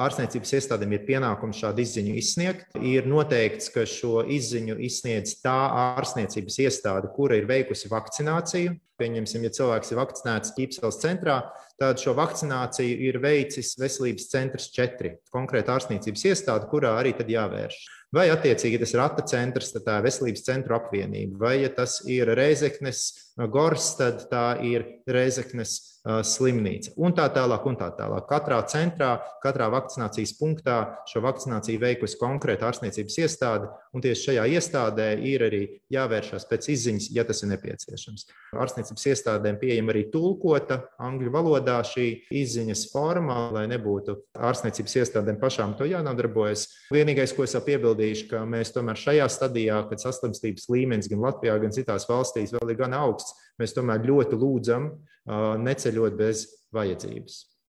ārstniecības iestādēm ir pienākums šādu izziņu izsniegt. Ir noteikts, ka šo izziņu izsniedz tā ārstniecības iestāde, kura ir veikusi vakcināciju. Pieņemsim, ja cilvēks ir vakcinēts Ķīpseles centrā, tad šo vakcināciju ir veicis Veselības centrs 4, konkrēta ārstniecības iestāde, kurā arī tad jāvērš. Vai attiecīgi tas ir Rata centrs, tad tā ir Veselības centru apvienība, vai ja tas ir Rēzeknes Gors, tad tā ir Rēzeknes slimnīca un tā tālāk un tā tālāk. Katrā centrā, katrā vakcinācijas punktā šo vakcināciju veikusi konkrēta ārstniecības iestāde, un tieši šajā iestādē ir arī jāvēršās pēc izziņas, ja tas ir nepieciešams. Ārstniecības iestādēm pieejama arī tulkota angļu valodā šī izziņas forma, lai nebūtu ārstniecības iestādēm pašām to jānodarbojas. Vienīgais, ko es piebildīšu, ka mēs tomēr šajā stadijā, kad saslimstības līmenis gan Latvijā, gan citās valstīs vēl ir gan augsts, mēs tomēr ļoti lūdzam neceļot bez vajadzības.